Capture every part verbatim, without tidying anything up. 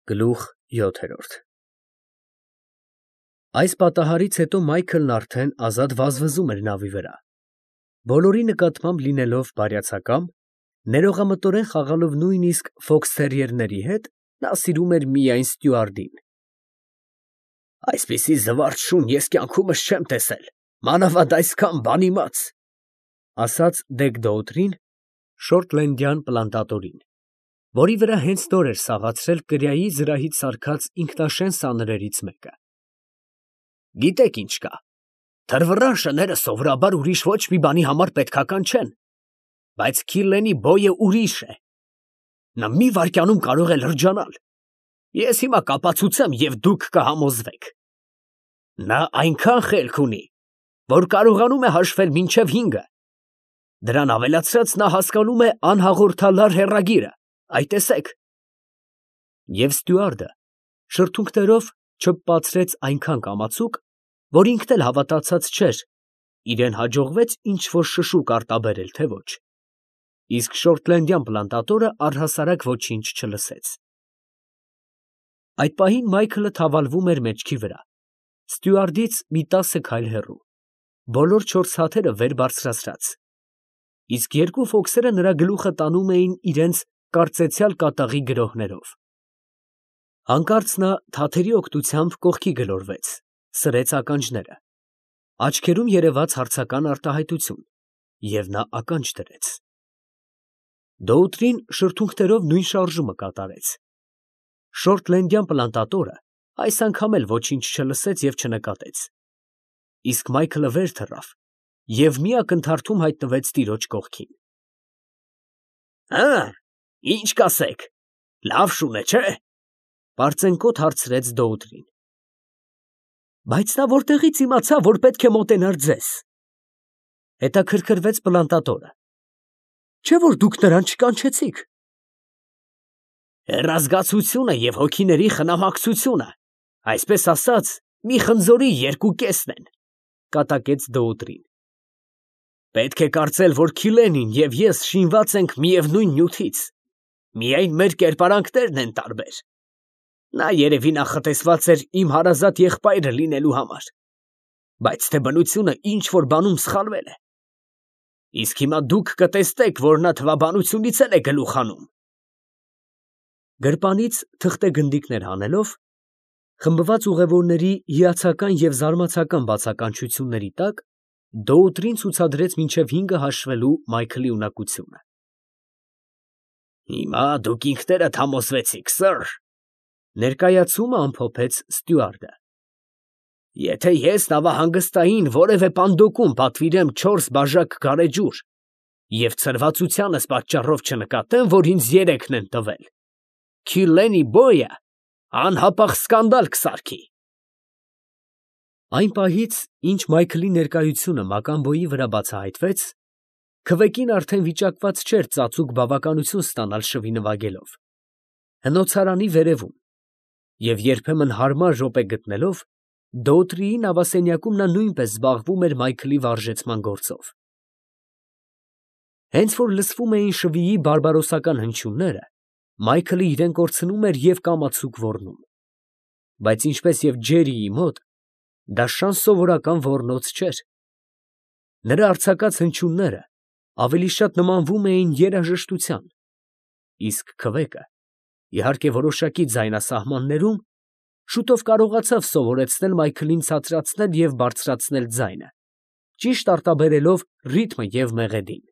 Գլուխ յոթ Այս պատահարից հետո Մայքլն արդեն ազատ վազվզում էր նավի վրա, բոլորի նկատմամբ լինելով բարյացակամ, ներողամտորեն խաղալով նույնիսկ ֆոքսթերիերների հետ, նա սիրում էր միայն ստյուարդին։ «Այսպիսի զվարթ շուն ես կյանքումս չեմ տեսել, մանավանդ այսքան բանիմաց», ֊ ասաց Դեգ֊Դոութրին, շորթլենդյան պլանտատորին, որի վրա հենց նոր էր սաղացրել կրիայի զրահից սարքած ինքնաշեն սանրերից մեկը։ «Գիտեք ինչ կա, թռվռան շները սովորաբար ուրիշ ոչ մի բանի համար պետքական չեն, բայց Քիլլենի բոյը ուրիշ է. նա մի վայրկյանում կարող է լրջանալ, ես հիմա կապացուցեմ և դուք կհամոզվեք։ Նա այնքան խելք ունի, որ կարողանում է հաշվել մինչև հինգը, դրան ավելացրած նա հասկանում է անհաղորդալար հեռագիրը, այ տեսեք»։ Եվ ստյուարդը շրթունքներով չփպացրեց այնքան կամացուկ, որ ինքն էլ հավատացած չէր, իրան հաջողվեց ինչ֊որ շշուկ արտաբերել, թե ոչ, իսկ շորթլենդյան պլանտատորը առհասարակ ոչինչ չլսեց։ Այդ պահին Մայքլը թավալվում էր մեջքի վրա, ստյուարդից մի տասը քայլ հեռու, բոլոր չորս հաթերը վեր բարձրացրած, իսկ երկու ֆոքսերը նրա գլուխը տանում էին իրենց կարծեցյալ կատաղի գրոհներով։ Հանկարծ նա թաթերի օգնությամբ կողքի գլորվեց, սրեց ականջները, աչքերում երևաց հարցական արտահայտություն, և նա ականջ դրեց։ Դոութրին շրթունքներով նույն շարժումը կատարեց։ Շորթլենդյան պլանտատորը այս անգամ էլ ոչինչ չլսեց և չնկատեց, իսկ Մայքլը վեր թռավ և մի ակնթարթում հայտնվեց տիրոջ կողքին։ «Հը՞, ի՞նչ կասեք, լավ շուն է, չէ՞, ֊ պարծենկոտ հարցրեց Դոութրին։ ֊ Բայց նա ո՞րտեղից իմացավ, որ պետք է մոտենար ձեզ, ֊ հետաքրքրվեց պլանտատորը, ֊ չէ՞ որ դուք նրան չկանչեցիք։ ֊ Հեռազգացությունը և հոգիների խնամակցությունը, այսպես ասած, մի խնձորի երկու կեսն են, ֊ կատակեց Դոութրին։ Պետք է կարծել, որ Քիլենին և ես շինված ենք միևնույն նյութից, միայն մեր կերպարանքներն են տարբեր։ Նա երևի նախատեսված էր իմ հարազատ եղբայրը լինելու համար, բայց թե բնությունը ինչ֊որ բանում սխալվել է։ Իսկ հիմա դուք կտեսնեք, որ նա թվաբանությունից էլ է գլուխ հանում։ Գրպանից թղթե գնդիկներ հանելով, խմբված ուղևորների հիացական և զարմացական բացականչությունների տակ, Դոութրին ցուցադրեց մինչև հինգը հաշվելու Մայքլի ունակությունը։ «Հիմա դուք ինքներդ համոզվեցիք, սըր, ֊ ներկայացումը ամփոփեց ստյուարդը, ֊ եթե ես նավահանգստային որևէ պանդոկում պատվիրեմ չորս բաժակ գարեջուր և ցրվածությանս պատճառով չնկատեմ, որ ինձ երեքն են տվել, Քիլլենի բոյը անհապաղ սկանդալ կսարքի»։ Այն պահից, ինչ Մայքլի ներկայությունը մական բոյի վրա բացահայտվեց, քվեկին արդեն վիճակված չէր ծածուկ բավականություն ստանալ շվի նվագելով, հնոցարանի վերևում, և երբեմն հարմար րոպե գտնելով, Դոութրիի նավասենյակում նա նույնպես զբաղվում էր Մայքլի վարժեցման գործով։ Հենց որ լսվում էին շվիի բարբարոսական հնչյունները, Մայքլը իրան կորցնում էր և կամացուկ ոռնում, բայց ինչպես և Ջերիի մոտ, դա շան սովորական ոռնոց չէր։ Նրա արձակած հնչյունները ավելի շատ նմանվում էին երաժշտության, իսկ քվեկը, իհարկե որոշակի ձայնասահմաններում, շուտով կարողացավ սովորեցնել Մայքլին ցածրացնել և բարձրացնել ձայնը, ճիշտ արտաբերելով ռիթմը և մեղեդին։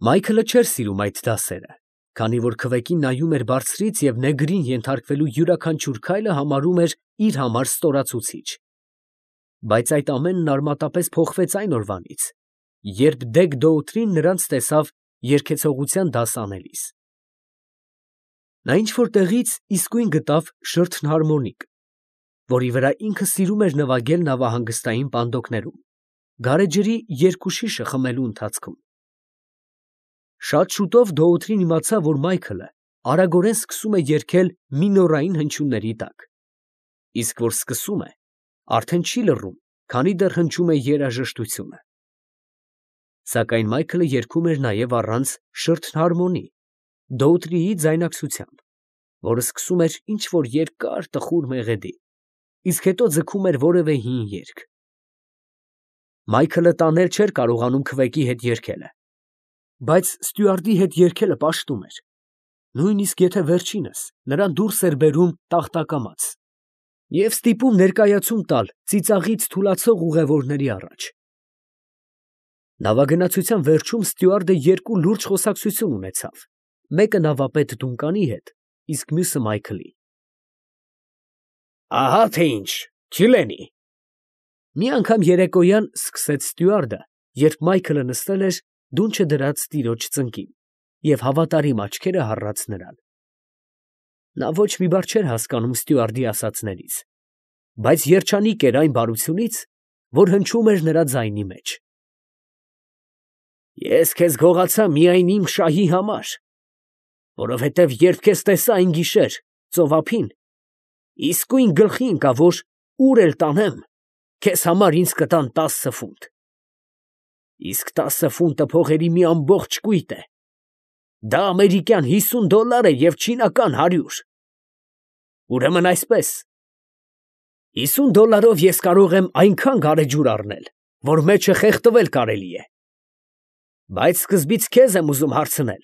Մայքլը չէր սիրում այդ դասերը, քանի որ քվեկին նայում էր բարձրից և նեգրին ենթարկվելու յուրաքանչյուր քայլը համարում էր իր համար ստորացուցիչ։ Բայց այդ ամենն արմատապես փոխվեց այն օրվանից, երբ Դեգ֊Դոութրին նրանց տեսավ երգեցողության դաս անելիս։ Նա ինչ֊որ տեղից իսկույն գտավ շրթնհարմոնիկ, որի վրա ինքը սիրում էր նվագել նավահանգստային պանդոկներում, գարեջրի երկու շիշը խմելու ընթացքում։ Շատ շուտով Դոութրին իմացավ, որ Մայքլը արագորեն սկսում է երգել մինորային հնչյունների տակ, իսկ որ սկսում է, արդեն չի լռում, քանի դեռ հնչում է երաժշտությունը։ Սակայն Մայքլը երգում էր նաև առանց շրթնհարմոնի, Դոութրիի ձայնակցությամբ, որը սկսում էր ինչ-որ երկար տխուր մեղեդի, իսկ հետո ձգում էր որևէ հին երգ։ Մայքլը տանել չէր կարողանում քվեկի հետ երգելը, բայց ստյուարդի հետ երգելը պաշտում էր, նույնիսկ եթե վերջինս նրան դուրս էր բերում տախտակամած և ստիպում ներկայացում տալ ծիծաղից թուլացող ուղևորների առաջ։ Նավագնացության վերջում ստյուարդը երկու լուրջ խոսակցություն ունեցավ, մեկը նավապետ Դունկանի հետ, իսկ մյուսը Մայքլի։ Ահա թե ինչ, Քիլենի։ Մի անգամ երեկոյան սկսեց ստյուարդը, երբ Մայքլը նստել էր դունչը դրած տիրոջ ծնկին և հավատարիմ աչքերը հառած նրան։ Նա ոչ մի բառ չէր հասկանում ստյուարդի ասածներից, բայց երջանիկ էր այն բարությունից, որ հնչում էր նրա ձայնի մեջ։ Ես քեզ գողացա միայն իմ շահի համար, որովհետև երբ քեզ տեսա այն գիշեր ծովափին, իսկույն գլխի ընկա, որ ուր էլ տանեմ, քեզ համար ինձ կտան տասը ֆունտ։ Իսկ տասը ֆունտը փողերի մի ամբողջ կույտ է։ Դա ամերիկյան հիսուն դոլար է և չինական հարյուր։ Ուրեմն այսպես, հիսուն դոլարով ես կարող եմ այնքան գարեջուր առնել, որ մեջը խեղդվել կարելի է։ Բայց սկզբից քեզ եմ ուզում հարցնել.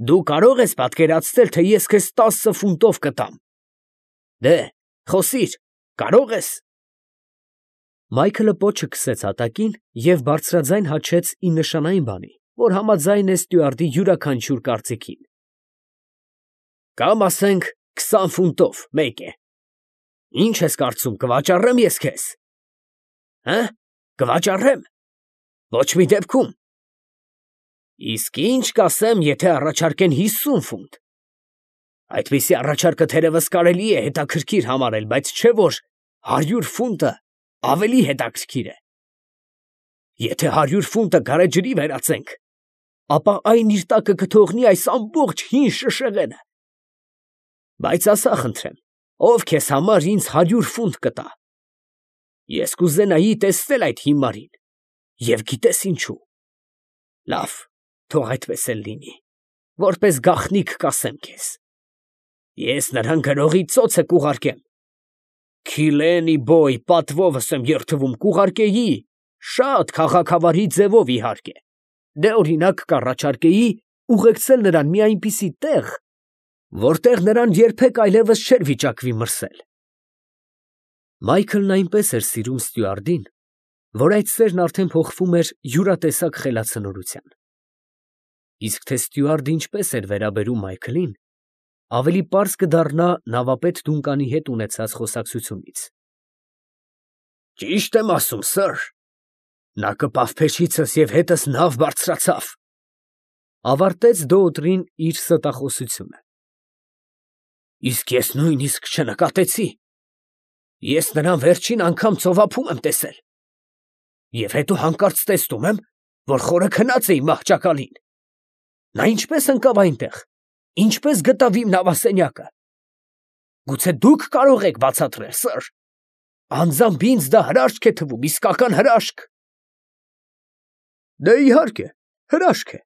դու կարո՞ղ ես պատկերացնել, թե ես քեզ տասը ֆունտով կտամ։ Դե, խոսիր, կարո՞ղ ես։ Մայքլը պոչը քսեց հատակին և բարձրաձայն հաչեց ի նշանային բանի, որ համաձայն է ստյուարդի յուրաքանչյուր կարծիքին։ Կամ ասենք քսան ֆունտով մեկ է։ Ինչ ես կարծում, կվաճառե՞մ ես քեզ։ Հը՞, կվաճառե՞մ։ Ոչ մի դեպքում։ Իսկ ինչ կասեմ, եթե առաջարկեն հիսուն ֆունտ։ Այդպիսի առաջարկը թերևս կարելի է հետաքրքիր համարել, բայց չէ որ հարյուր ֆունտը ավելի հետաքրքիր է։ Եթե հարյուր ֆունտը գարեջրի վերածենք, ապա այն իր տակը կթողնի այս ամբողջ հին շշեղենը։ Բայց ասա խնդրեմ, ով քեզ համար ինձ հարյուր ֆունտ կտա։ Ես կուզենայի տեսնել այդ հիմարին, և գիտես ինչու։ Լավ, թող այդպես էլ լինի, որպես գաղտնիք կասեմ քեզ։ Ես նրան գրողի ծոցը կուղարկեմ։ Քիլենի բոյ պատվովս եմ երդվում կուղարկեի, շատ քաղաքավարի ձևով իհարկե։ Դե օրինակ կառաջարկեի ուղեկցել նրան մի այնպիսի տեղ, որտեղ նրան երբեք այլևս չէր վիճակվի մրսել։ Մայքլն այնպես էր սիրում ստյուարդին, որ այդ սերն արդեն փոխվում էր յուրատեսակ խելացնորության։ Իսկ թե ստյուարդը ինչպես էր վերաբերում Մայքլին, ավելի պարզ կդառնա նավապետ Դունկանի հետ ունեցած խոսակցությունից։ Ճիշտ եմ ասում, սըր, նա կպավ փեշիցս և հետս նավ բարձրացավ, ավարտեց դոոտրին իր ստախոսությունը։ Իսկ ես նույնիսկ չնկատեցի։ Ես նրան վերջին անգամ ծովափում եմ տեսել։ Եվ հետո հանկարծ տեսնում եմ, որ խորը քնած է իմ մահճակալին։ Նա ինչպես ընկավ այնտեղ, ինչպես գտավ իմ նավասենյակը։ Գուցե դուք կարող եք բացատրել, սըր։ Անձամբ ինձ դա հրաշք է թվում, իսկական հրաշք։ Դե իհարկե, հրաշք է,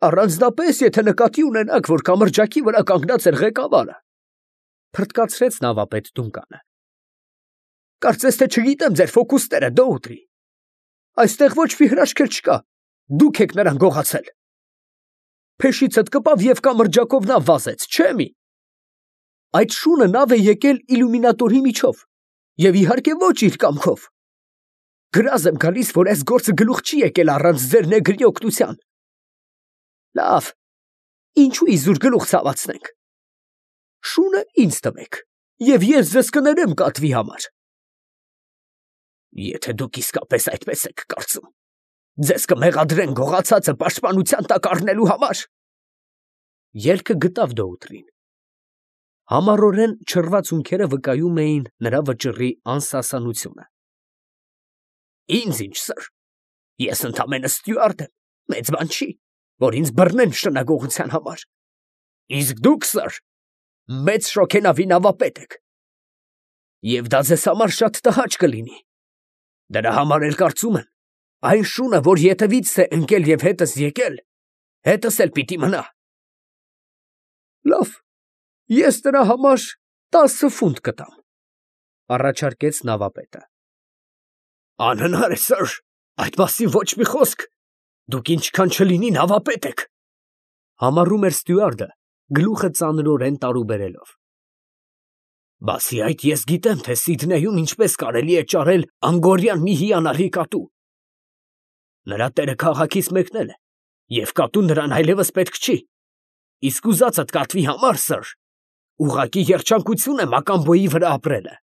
առանձնապես եթե նկատի ունենաք, որ կամրջակի վրա կանգնած էր ղեկավարը, փրտկացրեց նավապետ Դունկանը։ Կարծես թե չգիտեմ ձեր ֆոկուսները, դոուտրի։ Այստեղ ոչ մի հրաշք էլ չկա, դուք եք նրան գողացել։ Փեշիցդ կպավ և կամրջակով նա վազեց, չէ՞ մի։ Այդ շունը նավ է եկել իլյումինատորի միջով, և իհարկե ոչ իր կամքով։ Գրազ եմ գալիս, որ այս գործը գլուխ չի եկել առանց ձեր նեգրի օգնության։ Լավ, ինչու իզուր գլուխ ցավացնենք։ Շունը ինձ տվեք, և ես ձեզ կներեմ կատվի համար։ Եթե դուք իսկապես այդպես եք կարծում, ձեզ կմեղադրեն գողացածը պաշտպանության տակ առնելու համար։ Ելքը գտավ դոուտրին։ Համառորեն չռված ունքերը վկայում էին նրա վճռի անսասանությունը։ Ինձ ինչ, սըր, ես ընդամենը ստյուարդ եմ, մեծ բան չի, որ ինձ բռնեն շնագողության համար։ Իսկ դուք, սըր, մեծ շոգենավի նավապետ եք։ Եվ դա ձեզ համար շատ տհաճ կլինի։ Դրա համար էլ կարծում եմ, այն շունը, որ ետևից է ընկել և հետս եկել, հետս էլ պիտի մնա։ Լավ, ես նրա համար տասը ֆունտ կտամ, առաջարկեց նավապետը։ Անհնար է, սըր, այդ մասին ոչ մի խոսք, դուք ինչքան չլինի նավապետ եք, համառում էր ստյուարդը, գլուխը ծանրորեն տարուբերելով։ Բացի այդ, ես գիտեմ, թե Սիդնեյում ինչպես կարելի է ճարել անգորյան մի հիանալի կատու։ Նրա տերը քաղաքից մեկնել է, և կատուն նրան այլևս պետք չի, իսկ ուզածդ կատվի համար, սըր, ուղղակի երջանկություն է Մակամբոյի վրա ապրելը։